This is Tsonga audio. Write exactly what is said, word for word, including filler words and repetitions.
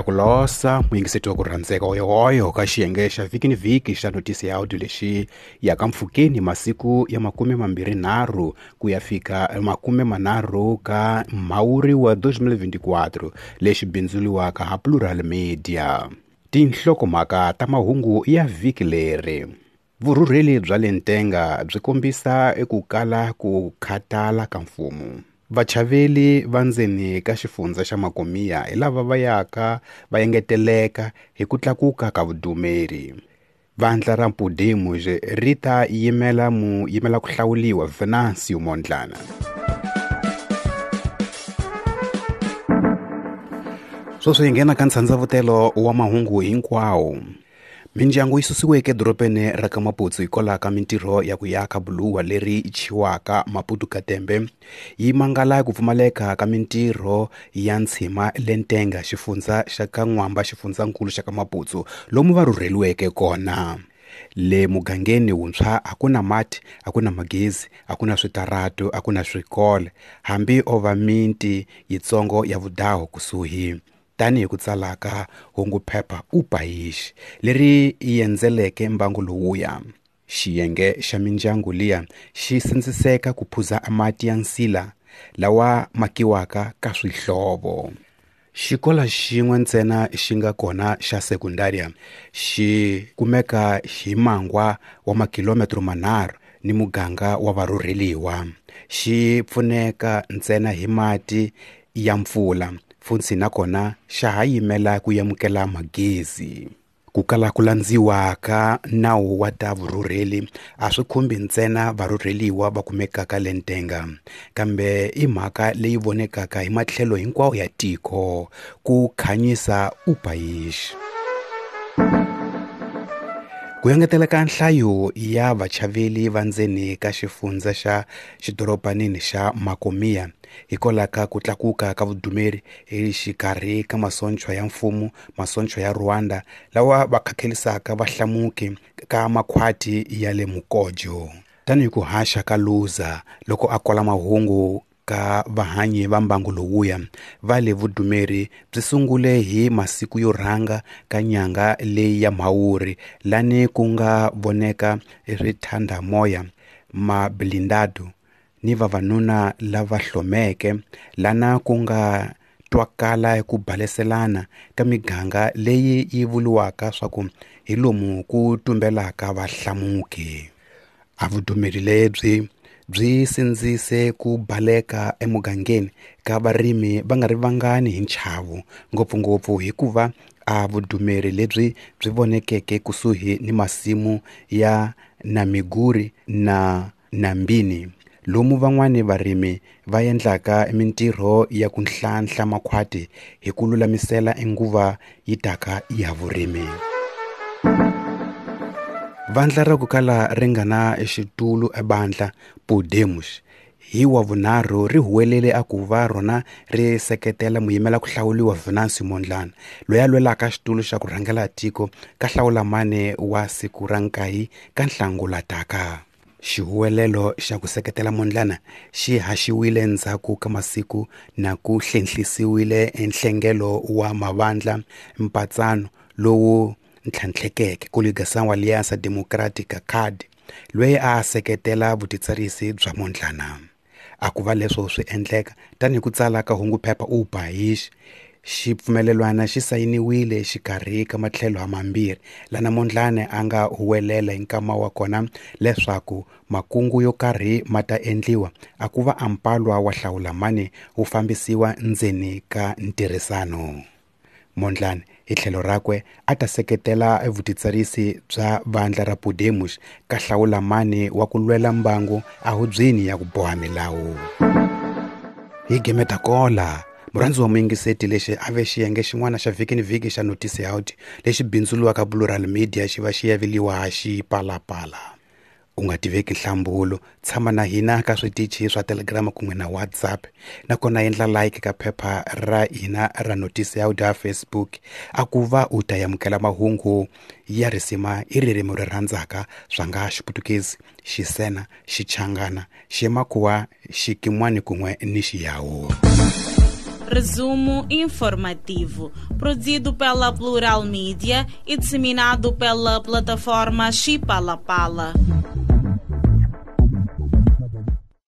Ha ku losa muyingiseti wa ku rhandzeka oyohoyo ka xiyenge xa vhiki ni vhiki xa notisi ya audio lexi yaka mpfhukeni masiku ya makume mambirhi nharhu ku ya fika makume manharhu ka Mhawuri wa twenty twenty-four lexi bindzuriwaka ha Plural Media. Tinhlokomhaka ta mahungu ya vhiki leri. Vurhurheli bya le Ntenga byi kombisa eku kala ku khatala ka mfumo. Vachaveli va ndzeni ka xifundza xa Makomia hi lava va yaka va engeteleka hi ku tlakuka ka vudumeri. Vandla ra Podemos ri ta yimela mu yimela ku hlawuliwa Venancio Mondlane. Sweswi hi nghena ka ntshandzavutelo wa mahungu hinkwawo. Mindyangu yi susiweke edorobeni ra ka Maputo hikwalaho ka mintirho ya ku yaka buluwa leri chiwaka Maputo Katembe yi mangala ku pfumaleka ka mintirho ya ntshima le Ntenga xifundza xa ka N'wamba xifundzankulu xa ka Maputo lomu va rhurheliweke kona. Le mugangeni wuntshwa a ku na mati, a ku na magezi, a ku na switaratu, a ku na swikolo, hambi o va miti yitsongo ya vudaho kusuhi. Tanihi ku tsalaka hunguphepha O País leri endzeleke mbangu lowuya. Xiyenge xa mindyangu liya xi sindziseka ku phuza mati ya nsila lawa makiwaka ka swihlovo. Xikolo xin'we ntsena xi nga kona xa sekundaria xi kumeka hi mangwa wa makilometro manharhu ni muganga wa varhurheliwa. Xi pfuneka ntsena hi mati ya mpfula. Funtsi nakona xa ha yimela ku amukela magezi. Ku kala ku landziwa ka nawu wa ta vurhurheli a swi khumbi ntsena varhurheliwa va kumekaka le Ntenga, kambe i mhaka leyi vonekaka hi matlhelo hinkwawo ya tiko, ku khanyisa O País. Ku engetela ka nhlayo ya vachaveli va ndzeni ka xifundza xa xidorobanini xa Makomia hikwalaho ka ku tlakuka ka vudumeri exikarhi ka masocha ya mfumo, masocha ya Rwanda lawa va khakhelisaka vahlamuki ka makhwati ya le Mukojo. Tanihi ku haxa ka Luza loko a kola mahungu ka vahanyi va mbangu lowuya va le vudumeri byi sungule hi masiku yo rhanga ka nyanga leyi ya Mhawuri lani ku nga voneka swithandamoya mablindado ni vavanuna lava hlomeke lana ku nga twakala ku baleselana ka miganga leyi yi vuriwaka swa ku hi lomu ku tumbelaka vahlamuki. A vudumeri lebyi byi sindzise ku baleka emugangeni ka varimi va nga ri vangani hi nchavo, ngopfungopfu hikuva a vudumeri lebyi byi vonekeke kusuhi ni masimu ya Namiguri na Nambini, lomu van'wani varimi va endlaka mintirho ya ku nhlanhla makhwati hi ku lulamisela nguva yi taka ya vurimi. Vandla ra ku kala ri nga na xitulu ebandla Podemos hi wa vunharhu ri huwelele a ku va rona ri seketela muyimela ku hlawuriwa Venancio Mondlane loyi a lwelaka xitulu xa ku rhangela tiko ka hlawulamane wa siku ra nkaye ka Nhlangula taka. Xihuwelelo xa ku seketela Mondlane xi haxiwile ndzhaku ka masiku na ku hlenhlisiwile enhlengelo wa mavandla mpatsano lowu ntlhantlhekeke Coligação Aliança Democrática C A D loyi a seketela vutitsarisi bya Mondlane. A ku va leswo swi endleka tanihi ku tsala ka hunguphepha O País, xipfumelelwana xi sayiniwile xikarhi ka matlhelo mambirhi lana Mondlane a nga huwelela hi nkama wa kona leswaku makungu yo karhi ma ta endliwa a ku va ampalwa wa hlawulamani wu fambisiwa ndzeni ka ntirhisano. Mondlane hi tlhelo rakwe a ta seketela vutitsarisi bya vandla ra Podemos ka hlawulamani wa ku lwela mbangu ehubyeni ya ku boha milawu. Hi gemeta kola murhandzi wa muyingiseti lexi a ve xiyenge xin'wana xa vhiki ni vhiki xa Notisi Out lexi bindzuriwaka Plural Media xi va xi yaveliwa xipalapala. U nga tiveki nhlambulo, tshama na hina ka switichi swa Telegram kun'we na WhatsApp, nakona endla like ka phepha ra hina ra Notisi Out ya Facebook a ku va u ta amukela mahungu ya risima hi ririmi ri rhandzaka swa nga Xiputukezi, Xisena, Xichangana, Ximakhuwa, Xikimwani kun'we ni Xiyawu. Resumo informativo, produzido pela Plural Mídia e disseminado pela plataforma Chipalapala.